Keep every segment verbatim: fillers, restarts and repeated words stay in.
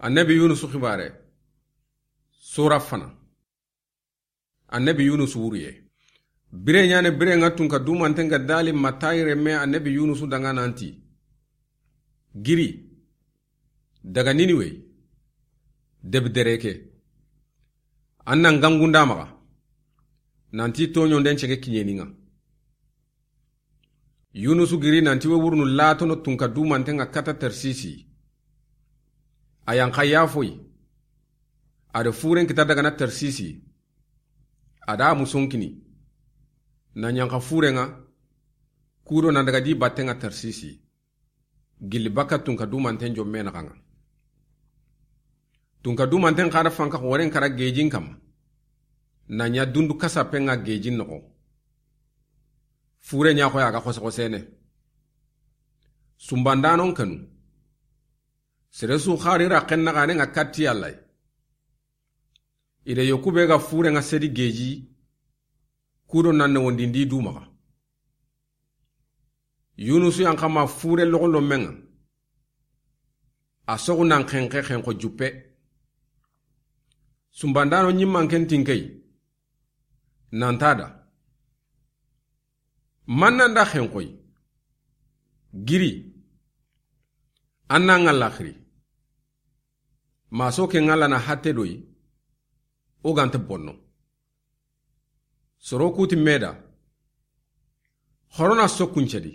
Annabi Yunusu xibaare. Sura fana. Annabi Yunusu wuriye. Bire ɲaane bire ŋa tunka dumanten ga dali matayi remme Annabi Yunusu danŋa nanti: Giri daga Niniwe, debi dere ke. An na n gangunda maxa nanti toɲonden cege kiɲeni ŋa. Yunusu giri nanti we wurunu latono tunka dumanten ŋa kata Tarsisi. A yanxa yafoyi. A da furen kita daga na Tarsisi. A da musonkini na ɲanxa furen ŋa. Kudo nan daga di batten ŋa Tarsisi. Gilli baka tunka dumanten jomme naxa ŋa. Tunka dumanten xa da fanka xoren kara gejin kamma. Na ɲa dundu kasapen ŋa gejin noxo. Fure ɲa xoya ga xose xosene. Sumbandanon kanu. Sere su xari ra xenna xane ŋa katti Alla. I da yoku be ga fure ŋa sedi geji. Kudo nan ne wondindi du maxa. Yunusu yan xama fure loxo lomen ŋa. A soxu nan xenxe xenxo juppe. Sumbandano ɲimman ken tinkey. Nanta da. Mannan da xenxoy. Giri. An na ŋa laxiri. Maso ke ŋa lana hatte doyi. O gante bonno. Soro kuti meda. Xorona sokkuncedi.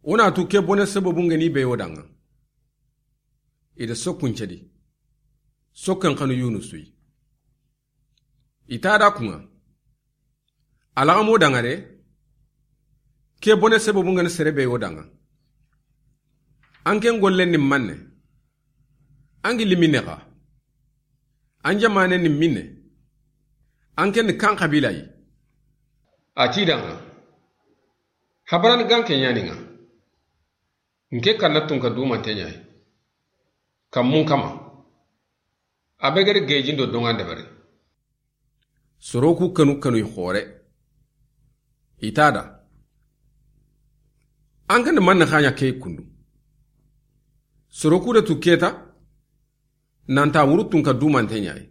O na tu ke bone sababu ngeni be yo danŋa. I da sokkuncedi. Sokken xanu Yunusu yi. I ta da kuŋa. Alaxamo danŋa de. Ke bone sababu ngeni sere be yo danŋa. An ken gollen ni manne. An gilli minne xa. An jamaane ni minne. An ken ni kan xabila yi. A ti danŋa. Habaran gan ke ɲani ŋa. Nke kanna tunka dumante ɲayi. Kammun kama. A be gere gejin do donŋa ndebere. Soro ku kanu kanu i xore. I ta da. An kan manne xaɲa ke kundu. Soro ku da tu keta. Nanta wuru tunka dumante ɲayi.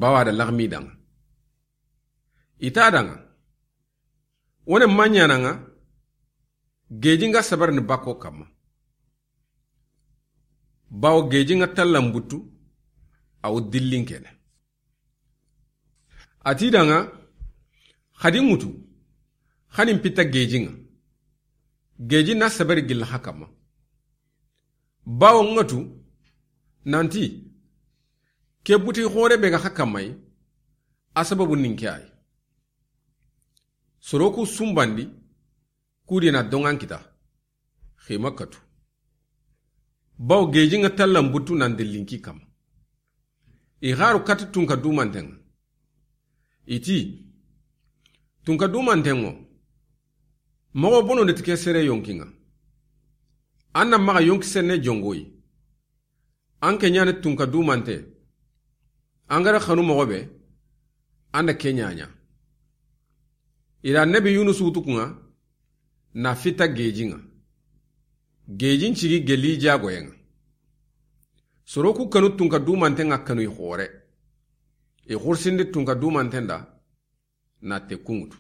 Bawa da laxmi danŋa. I ta danŋa. Wone maɲana ŋa. Geji ŋa sabar ni bako kamma. Bawo geji ŋa tallan buttu. Awo dillin kene. A ti danŋa. Xadi ŋutu. Xanin pita geji ŋa. Geji na sabari gilla xa kamma. Bawo ŋa tu. Nanti. Ke buti xore be ga xa kamma yi. A sababu nin ke ayi. Soro ku sumbandi. Kudi na donŋan kita. Xima katu. Bawo geji ŋa tallan buttu nan dellinki kamma. I xaru kati tunka dumanten ŋa. I ti. Tunka dumanten ŋo. Moxo bono de ti ke sere yonki ŋa. An na maxa yonki senne jongoyi. An ke ɲani tunka dumante. An gara xanu moxo be. An da ke ɲaɲa. I da Annabi Yunusu wutu kuŋa. Na fita geji ŋa. Gejin cigi geli jagoye ŋa. Soro ku kanu tunka dumante ŋa kanu i xore. I xursindi tunka dumanten da. Na te kuŋutu.